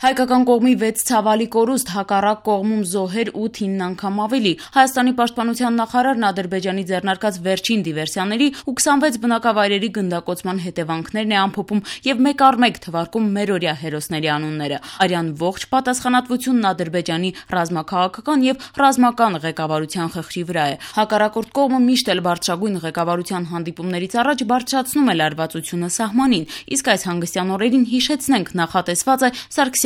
Հայկական կողմի 6 ցավալի կորուստ, հակառակ կողմում զոհեր 8-9 անգամ ավելի։ Հայաստանի պաշտպանության նախարարն Ադրբեջանի ձեռնարկած վերջին դիվերսիաների ու 26 բնակավայրերի գնդակոծման հետևանքներն է ամփոփում եւ մեկ առ մեկ թվարկում մերօրյա հերոսների անունները։ Արյան ողջ պատասխանատվությունն Ադրբեջանի ռազմաքաղաքական եւ ռազմական ղեկավարության խղճի վրա է։ Հակառակորդ կողմը միշտ էլ բարձրագույն ղեկավարության հանդիպումներից առաջ բարձրացնում է լարվածությունը սահմանին, իսկ այս հանգստյան օրերին հիշեցնենք նախատեսված է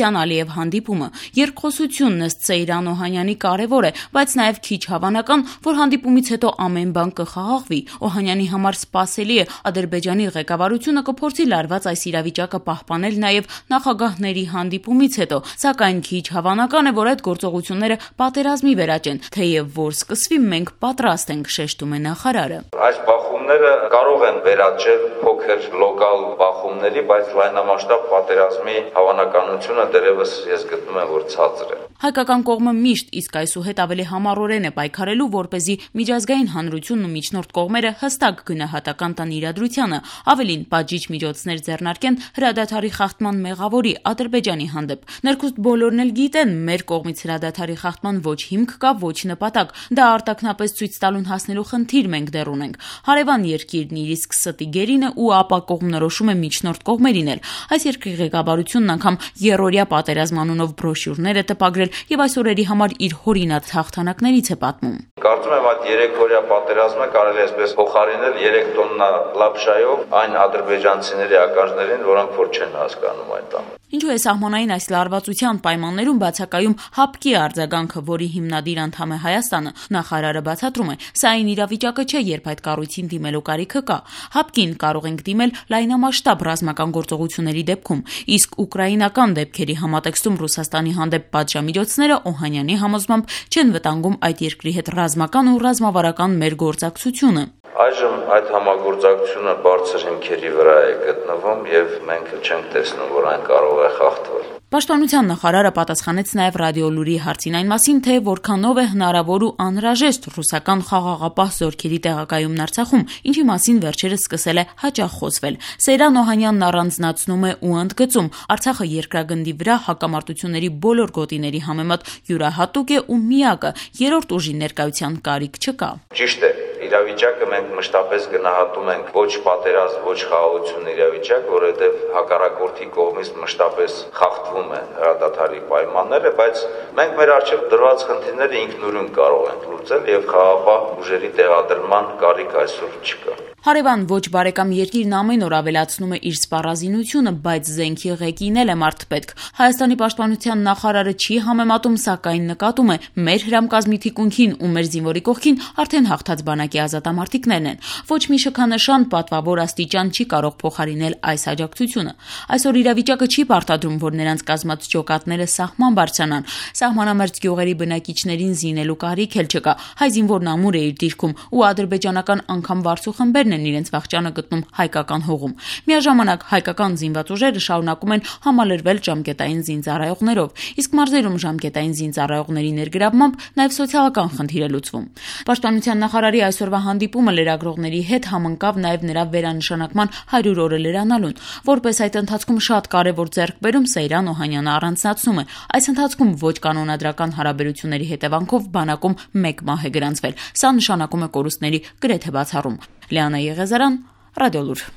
Սարգսյան-Ալիև հանդիպումը։ Երկխոսությունն ըստ Սեյրան Օհանյանի կարևոր է, բայց նաև քիչ հավանական, որ հանդիպումից հետո ամեն բան կխաղաղվի։ Օհանյանի համար սպասելի է Ադրբեջանի ղեկավարությունը կփորձի լարված այս իրավիճակը պահպանել նաև նախագահների հանդիպումից հետո, սակայն քիչ հավանական է, որ այդ գործողությունները պատերազմի վերաճեն, թեև որ սկսվի մենք պատրաստ ենք, շեշտում է նախարարը։ Այս բախումները կարող են վերաճել փոքր լոկալ բախումների, բայց լայնամասշտաբ պատերազմի հավանականությունը դեռևս ես գտնում եմ, որ ցածր է։ Հայկական կողմը միշտ իսկ այսուհետ ավելի համառորեն է պայքարելու, որպեսզի միջազգային հանրությունն ու միջնորդ կողմերը հստակ գնահատական տան իրադրությանը, ավելին պատժիչ միջոցներ ձեռնարկեն հրադադարի խախտման մեղավորի Ադրբեջանի հանդեպ։ Ներքուստ բոլորն էլ գիտեն, մեր կողմից հրադադարի խախտման ոչ հիմք կա, ոչ նպատակ։ Դա արտաքնապես ցույց տալուն հասնելու խնդիր մենք դեռ ունենք։ Հարևան երկիրն իր իսկ ստի գերին է ու ապա կողմնորոշում է միջնորդ կողմերին էլ։ Այս երկրի ղեկավարությունն անգամ երրորդյա պատերազմ անունով բրոշյուրներ է տպագրել եւ այս օրերի համար իր հորինած հաղթանակներից է պատմում։ Կարծում եմ այդ 3-օրյա պատերազմը կարելի է այսպես փոխարինել 3 տոննա լապշայով այն ադրբեջանցիների ականջներին, որոնք որ չեն հասկանում այդ բանը։ Ինչու է սահմանային այս լարվածության պայմաններում բացակայում ՀԱՊԿ-ի արձագանքը, որի հիմնադիր անդամ է Հայաստանը։ Նախարարը բացատրում է, սա այն իրավիճակը չէ, երբ այդ կառույցին դիմելու կարիքը կա։ ՀԱՊԿ-ին կարող ենք դիմել լայնամասշտաբ ռազմական գործողությունների դեպքում, իսկ ուկրաինական դեպքերի համատեքստում Ռուսաստանի հանդեպ պատժամիջոցները Օհանյանի համոզմամբ չեն վտանգում այդ երկրի հետ ռազմական ու ռազմավարական մեր գործակցությունը։ Այժմ այդ համագործակցությունը բարձր հիմքերի վրա է գտնվում եւ մենք չենք տեսնում, որ այն կարող է խախտվել։ Պաշտպանության նախարարը պատասխանեց նաև ռադիոլուրի հարցին այն մասին, թե որքանով է հնարավոր ու անհրաժեշտ ռուսական խաղաղապահ զորքերի տեղակայումն Արցախում, ինչի մասին վերջերս սկսել է հաճախ խոսվել։ Սեյրան Օհանյանն առանձնացնում է ու ընդգծում, Արցախը երկրագնդի վրա հակամարտությունների բոլոր գոտիների համեմատ յուրահատուկ է ու միակը, երրորդ ուժի ներկայության կարիք չկա։ Ճիշտ է, իրավիճակը մենք մշտապես գնահատում ենք ոչ պատերազմ, ոչ խաղաղություն իրավիճակ, որովհետև հակառակորդի կողմից մշտապես խախտվում են հրադադարի պայմանները, բայց մենք մեր առջև դրված խնդիրները ինքնուրույն կարող ենք լուծել եւ խաղաղապահ ուժերի տեղադրման կարիք այսօր չկա։ Հարևան ոչ բարեկամ երկիրն ամեն օր ավելացնում է իր սպառազինությունը, բայց զենքի ղեկին է մարդ պետք։ Հայաստանի պաշտպանության նախարարը չի համեմատում, սակայն նկատում է, մեր հրամկազմի թիկունքին ու մեր զինվորի կողքին արդեն հաղթած բանակի ազատամարտիկներն են։ Ոչ մի շքանշան, պատվավոր աստիճան չի կարող փոխարինել այս աջակցությունը։ Այսօր իրավիճակը չի պարտադրում, որ նրանց կազմած ջոկատները սահման բարձրանան։ Սահմանամերձ գյուղերի բնակիչներին զինելու կարիք էլ չկա։ Հայ զինվորն ամուր է իր դիրքում ու ադրբեջանական անգամ վարձու խմբերն են իրենց վախճանը գտնում հայկական հողում։ Միաժամանակ հայկական զինված ուժերը շարունակում են համալրվել ժամկետային զինծառայողներով, իսկ մարզերում ժամկետային զինծառայողների ներգրավմամբ նաև սոցիալական խնդիր է լուծվում։ Պաշտպանության նախարարի այսօրվա հանդիպումը լրագրողների հետ համընկավ նաև նրա վերանշանակման 100 օրը լրանալուն։ Որպես այդ ընթացքում շատ կարևոր ձեռքբերում Սեյրան Օհանյանը առանձնացնում է։ Այս ընթացքում ոչ կանոնադրական հարաբերությունների հետևանքով բանակում 1 մահ է գրանցվել։ Սա նշանակում է կորուստների գրեթե բացառում։ Լիանա Եղեզարյան, Ռադիոլուր։